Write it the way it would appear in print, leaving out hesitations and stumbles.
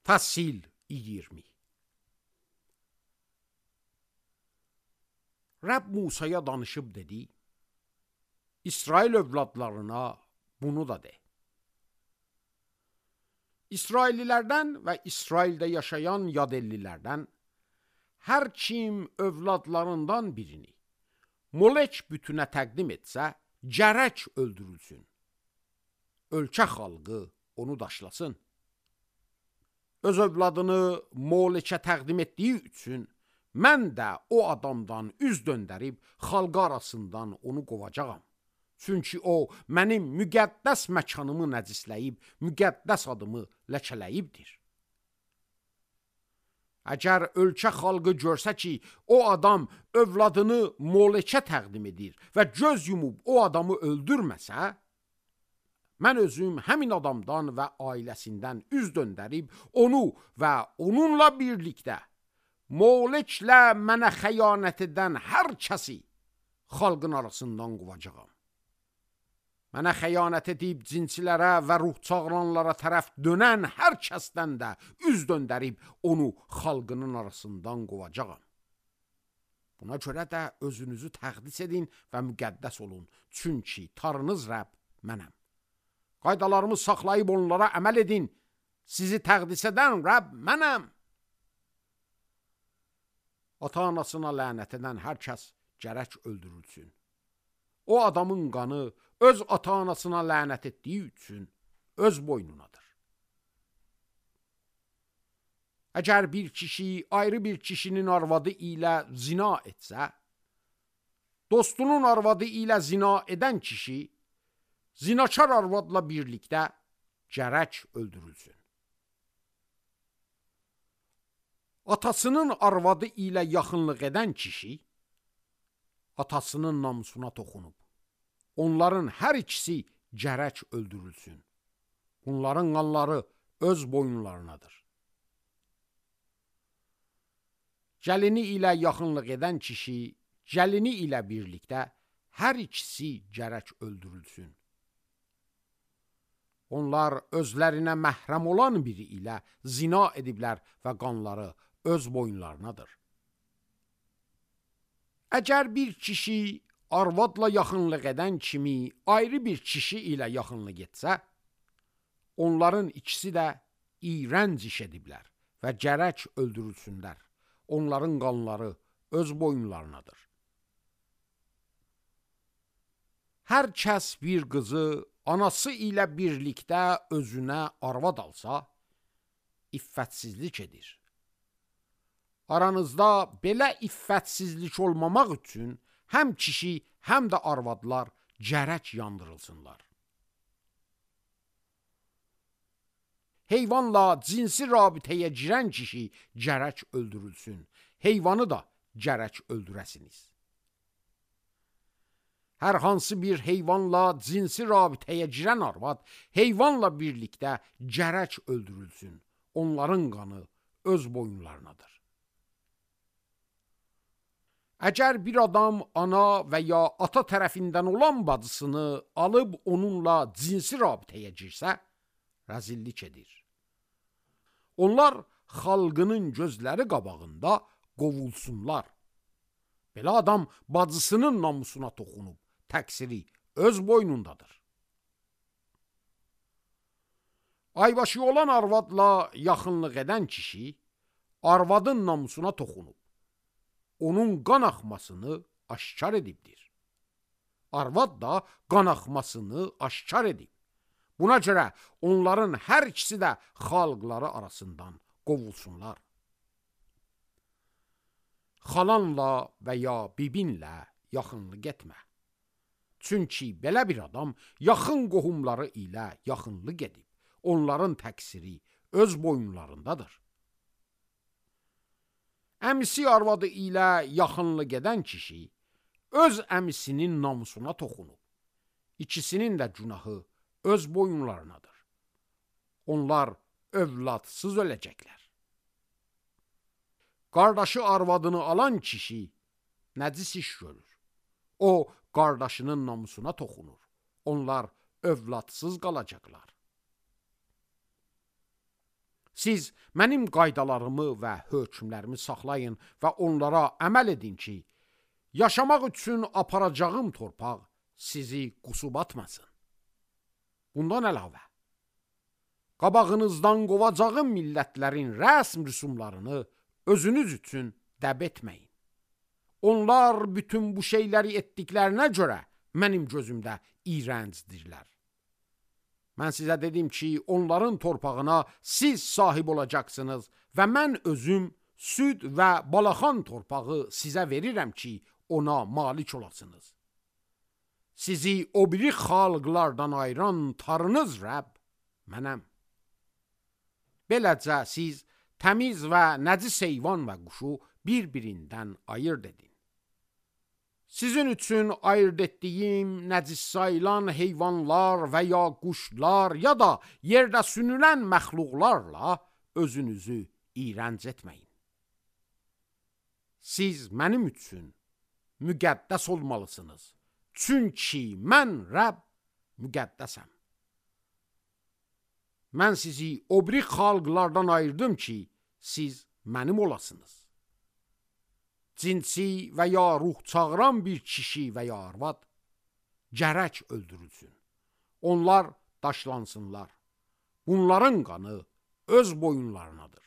Fəsil 20. Rəbb Musaya danışıb dedi: İsrail övladlarına bunu da de. İsraillilərdən və İsraildə yaşayan yadəllilərdən hər kim övladlarından birini Molek bütünə təqdim etsə, gərək öldürülsün. Ölkə xalqı onu daşlasın. Öz övladını Molekə təqdim etdiyi üçün mən də o adamdan üz döndərib xalqı arasından onu qovacağam. Çünki o mənim müqəddəs məkanımı nəcisləyib, müqəddəs adımı ləkələyibdir. Əgər ölkə xalqı görsə ki, o adam övladını Molekə təqdim edir və göz yumub o adamı öldürməsə, mən özüm həmin adamdan və ailəsindən üz döndərib onu və onunla birlikdə Moleklə mənə xəyanət edən hər kəsi xalqın arasından qovacağam. Mənə xəyanət edib cinsilərə və ruh çağıranlara tərəf dönən hər kəsdən də üz döndərib onu xalqının arasından qovacağam. Buna görə də özünüzü təqdis edin və müqəddəs olun, çünki Tanrınız Rəbb mənəm. Qaydalarımı saxlayıb onlara əməl edin, sizi təqdis edən Rəbb mənəm. Ata-anasına lənət edən hər kəs gərək öldürülsün. O adamın qanı öz ata-anasına lənət etdiyi üçün öz boynunadır. Əgər bir kişi ayrı bir kişinin arvadı ilə zina etsə, dostunun arvadı ilə zina edən kişi zinakar arvadla birlikdə gərək öldürülsün. Atasının arvadı ilə yaxınlıq edən kişi atasının namusuna toxunub. Onların hər ikisi gərək öldürülsün. Bunların qanları öz boyunlarınadır. Gəlini ilə yaxınlıq edən kişi gəlini ilə birlikdə hər ikisi gərək öldürülsün. Onlar özlərinə məhrəm olan biri ilə zina ediblər və qanları öz boyunlarınadır. Əgər bir kişi arvadla yaxınlıq edən kimi ayrı bir kişi ilə yaxınlıq etsə, onların ikisi də iyrənc iş ediblər və gərək öldürülsünlər. Onların qanları öz boyunlarınadır. Hər kəs bir qızı anası ilə birlikdə özünə arvad alsa, iffətsizlik edir. Aranızda belə iffətsizlik olmamaq üçün həm kişi, həm də arvadlar gərək yandırılsınlar. Heyvanla cinsi rabitəyə girən kişi gərək öldürülsün. Heyvanı da gərək öldürəsiniz. Hər hansı bir heyvanla cinsi rabitəyə girən arvad heyvanla birlikdə gərək öldürülsün. Onların qanı öz boyunlarınadır. Əgər bir adam ana və ya ata tərəfindən olan bacısını alıb onunla cinsi rabitəyə girsə, rəzillik edir. Onlar xalqının gözləri qabağında qovulsunlar. Belə adam bacısının namusuna toxunub, təqsiri öz boynundadır. Aybaşı olan arvadla yaxınlıq edən kişi arvadın namusuna toxunub, onun qan axmasını aşkar edibdir. Arvad da qan axmasını aşkar edib. Buna görə onların hər ikisi də xalqları arasından qovulsunlar. Xalanla və ya bibinlə yaxınlıq etmə. Çünki belə bir adam yaxın qohumları ilə yaxınlıq edib. Onların təqsiri öz boyunlarındadır. Əmisi arvadı ilə yaxınlıq edən kişi öz əmisinin namusuna toxunub. İkisinin də günahı öz boyunlarınadır. Onlar övladsız öləcəklər. Qardaşı arvadını alan kişi nəcis iş görür. O, qardaşının namusuna toxunur. Onlar övladsız qalacaqlar. Siz mənim qaydalarımı və hökmlərimi saxlayın və onlara əməl edin ki, yaşamaq üçün aparacağım torpaq sizi qusub atmasın. Bundan əlavə, qabağınızdan qovacağım millətlərin rəsm rüsumlarını özünüz üçün dəb etməyin. Onlar bütün bu şeyləri etdiklərinə görə mənim gözümdə iyrəncdirlər. Mən sizə dedim ki, onların torpağına siz sahib olacaqsınız və mən özüm süd və balaxan torpağı sizə verirəm ki, ona malik olasınız. Sizi o biri xalqlardan ayıran tarınız Rəbb mənəm. Beləcə siz təmiz və nəcis heyvan və quşu bir-birindən ayırd edin. Sizin üçün ayırt etdiyim nəcis sayılan heyvanlar və ya quşlar ya da yerdə sünülən məxluqlarla özünüzü iyrənc etməyin. Siz mənim üçün müqəddəs olmalısınız. Çünki mən Rəbb müqəddəsəm. Mən sizi o biri xalqlardan ayırdım ki, siz mənim olasınız. Cinsi və ya ruh çağıran bir kişi və ya arvad gərək öldürülsün. Onlar daşlansınlar. Bunların qanı öz boyunlarınadır.